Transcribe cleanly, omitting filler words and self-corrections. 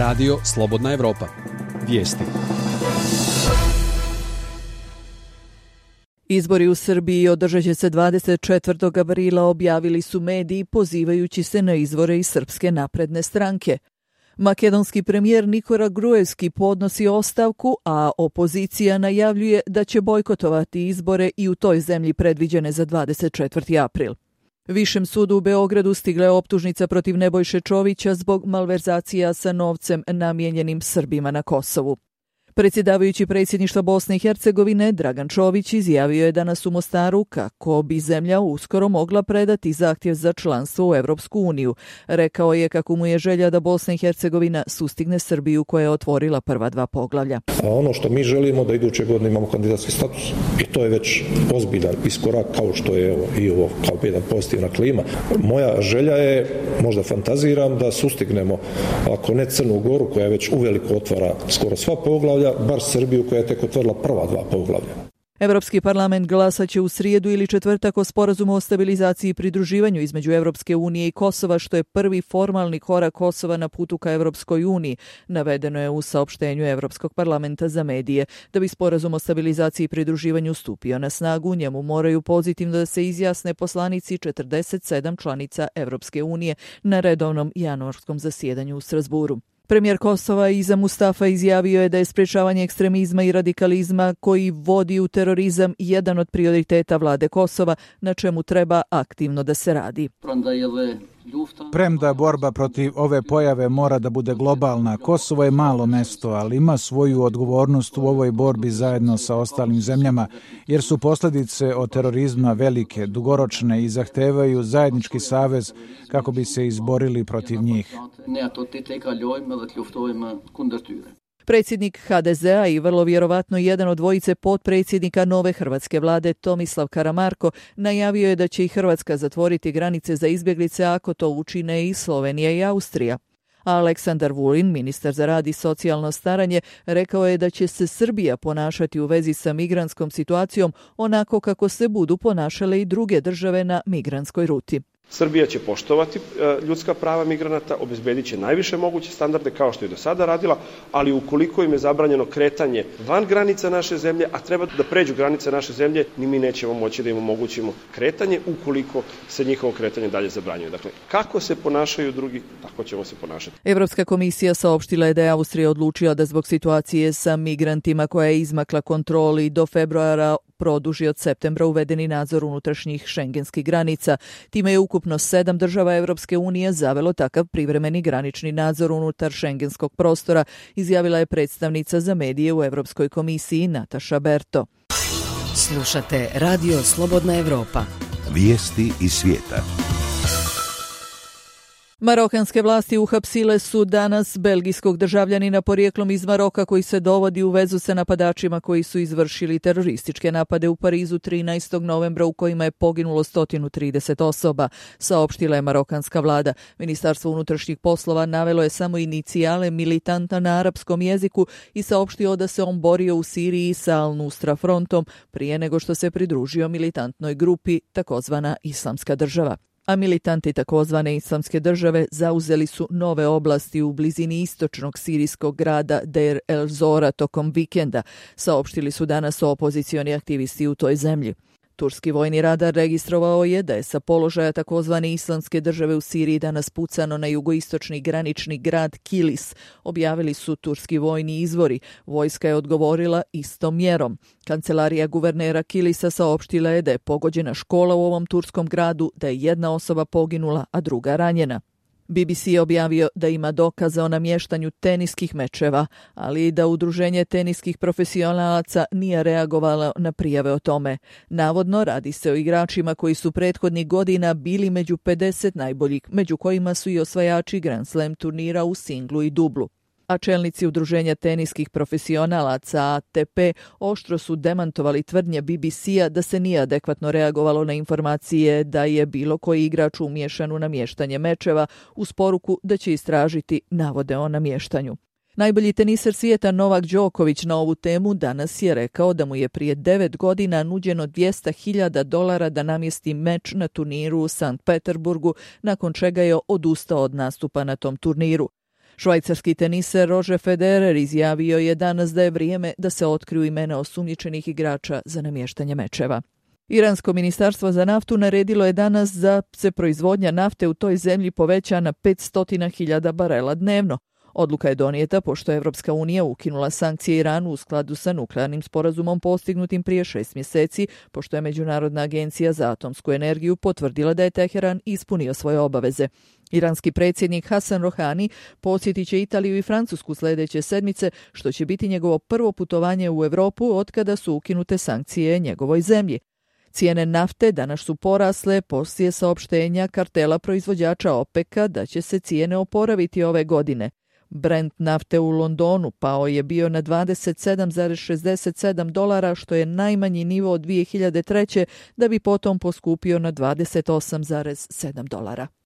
Radio Slobodna Evropa. Vijesti. Izbori u Srbiji održat će se 24. aprila, objavili su mediji pozivajući se na izvore iz Srpske napredne stranke. Makedonski premijer Nikola Gruevski podnosi ostavku, a opozicija najavljuje da će bojkotovati izbore i u toj zemlji predviđene za 24. april. Višem sudu u Beogradu stigla je optužnica protiv Nebojše Čovića zbog malverzacija sa novcem namijenjenim Srbima na Kosovu. Predsjedavajući predsjedništva Bosne i Hercegovine Dragan Čović izjavio je danas u Mostaru kako bi zemlja uskoro mogla predati zahtjev za članstvo u Evropsku uniju. Rekao je kako mu je želja da Bosna i Hercegovina sustigne Srbiju koja je otvorila prva dva poglavlja. A ono što mi želimo da iduće godine imamo kandidatski status i to je već ozbiljan iskorak kao što je i ovo kao jedna pozitivna klima. Moja želja je, možda fantaziram, da sustignemo ako ne Crnu Goru koja već uveliko otvara skoro sva poglavlja, bar Srbiju koja je tek otvorila prva dva poglavlja. Evropski parlament glasaće u srijedu ili četvrtak o sporazumu o stabilizaciji i pridruživanju između Evropske unije i Kosova, što je prvi formalni korak Kosova na putu ka Evropskoj uniji, navedeno je u saopštenju Evropskog parlamenta za medije. Da bi sporazum o stabilizaciji i pridruživanju stupio na snagu, njemu moraju pozitivno da se izjasne poslanici 47 članica Evropske unije na redovnom januarskom zasjedanju u Strasburu. Premijer Kosova Iza Mustafa izjavio je da je sprečavanje ekstremizma i radikalizma koji vodi u terorizam jedan od prioriteta vlade Kosova, na čemu treba aktivno da se radi. Premda borba protiv ove pojave mora da bude globalna, Kosovo je malo mesto, ali ima svoju odgovornost u ovoj borbi zajedno sa ostalim zemljama, jer su posljedice od terorizma velike, dugoročne i zahtevaju zajednički savez kako bi se izborili protiv njih. Predsjednik HDZ-a i vrlo vjerovatno jedan od dvojice potpredsjednika nove hrvatske vlade Tomislav Karamarko najavio je da će i Hrvatska zatvoriti granice za izbjeglice ako to učine i Slovenija i Austrija. A Aleksandar Vulin, ministar za rad i socijalno staranje, rekao je da će se Srbija ponašati u vezi sa migrantskom situacijom onako kako se budu ponašale i druge države na migrantskoj ruti. Srbija će poštovati ljudska prava migranata, obezbedit će najviše moguće standarde kao što je do sada radila, ali ukoliko im je zabranjeno kretanje van granica naše zemlje, a treba da pređu granice naše zemlje, ni mi nećemo moći da im omogućimo kretanje ukoliko se njihovo kretanje dalje zabranjuje. Dakle, kako se ponašaju drugi, tako ćemo se ponašati. Evropska komisija saopštila je da je Austrija odlučila da zbog situacije sa migrantima koja je izmakla kontroli do februara produži od septembra uvedeni nadzor unutrašnjih šengenskih granica. Time je ukupno 7 država Evropske unije zavelo takav privremeni granični nadzor unutar šengenskog prostora, izjavila je predstavnica za medije u Evropskoj komisiji Nataša Berto. Slušate Radio Slobodna Evropa. Vijesti iz svijeta. Marokanske vlasti uhapsile su danas belgijskog državljanina porijeklom iz Maroka koji se dovodi u vezu sa napadačima koji su izvršili terorističke napade u Parizu 13. novembra u kojima je poginulo 130 osoba, saopštila je marokanska vlada. Ministarstvo unutrašnjih poslova navelo je samo inicijale militanta na arapskom jeziku i saopštio da se on borio u Siriji sa Al-Nusra frontom prije nego što se pridružio militantnoj grupi takozvana Islamska država. A militanti takozvane Islamske države zauzeli su nove oblasti u blizini istočnog sirijskog grada Deir el-Zora tokom vikenda, saopštili su danas opozicioni aktivisti u toj zemlji. Turski vojni radar registrovao je da je sa položaja takozvane Islamske države u Siriji danas pucano na jugoistočni granični grad Kilis, objavili su turski vojni izvori. Vojska je odgovorila istom mjerom. Kancelarija guvernera Kilisa saopštila je da je pogođena škola u ovom turskom gradu, da je jedna osoba poginula, a druga ranjena. BBC je objavio da ima dokaza o namještanju teniskih mečeva, ali i da udruženje teniskih profesionalaca nije reagovalo na prijave o tome. Navodno radi se o igračima koji su prethodnih godina bili među 50 najboljih, među kojima su i osvajači Grand Slam turnira u singlu i dublu. A čelnici udruženja teniskih profesionalaca ATP oštro su demantovali tvrdnje BBC-a da se nije adekvatno reagovalo na informacije da je bilo koji igrač umiješan u namještanje mečeva, uz poruku da će istražiti navode o namještanju. Najbolji teniser svijeta Novak Đoković na ovu temu danas je rekao da mu je prije 9 godina nuđeno $200.000 da namjesti meč na turniru u Sankt Peterburgu, nakon čega je odustao od nastupa na tom turniru. Švajcarski teniser Roger Federer izjavio je danas da je vrijeme da se otkriju imena osumnjičenih igrača za namještanje mečeva. Iransko ministarstvo za naftu naredilo je danas da se proizvodnja nafte u toj zemlji poveća na 500.000 barela dnevno. Odluka je donijeta pošto je Evropska unija ukinula sankcije Iranu u skladu sa nuklearnim sporazumom postignutim prije 6 mjeseci, pošto je Međunarodna agencija za atomsku energiju potvrdila da je Teheran ispunio svoje obaveze. Iranski predsjednik Hasan Rohani posjetit će Italiju i Francusku sljedeće sedmice, što će biti njegovo prvo putovanje u Europu otkada su ukinute sankcije njegovoj zemlji. Cijene nafte danas su porasle poslije saopštenja kartela proizvođača OPEC-a da će se cijene oporaviti ove godine. Brent nafte u Londonu pao je bio na $27,67, što je najmanji nivo od 2003. da bi potom poskupio na $28,7.